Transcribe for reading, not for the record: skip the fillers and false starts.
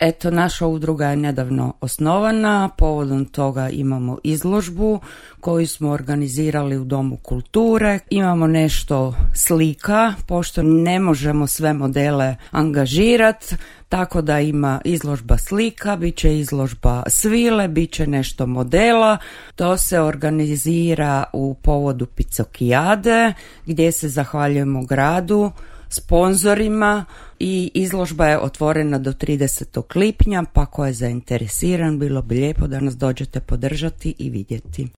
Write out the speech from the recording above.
Eto, naša udruga je nedavno osnovana, povodom toga imamo izložbu koju smo organizirali u Domu kulture. Imamo nešto slika, pošto ne možemo sve modele angažirati, tako da ima izložba slika, bit će izložba svile, bit će nešto modela. To se organizira u povodu Picokijade, gdje se zahvaljujemo gradu, sponzorima, i izložba je otvorena do 30. lipnja, pa ko je zainteresiran, bilo bi lijepo da nas dođete podržati i vidjeti.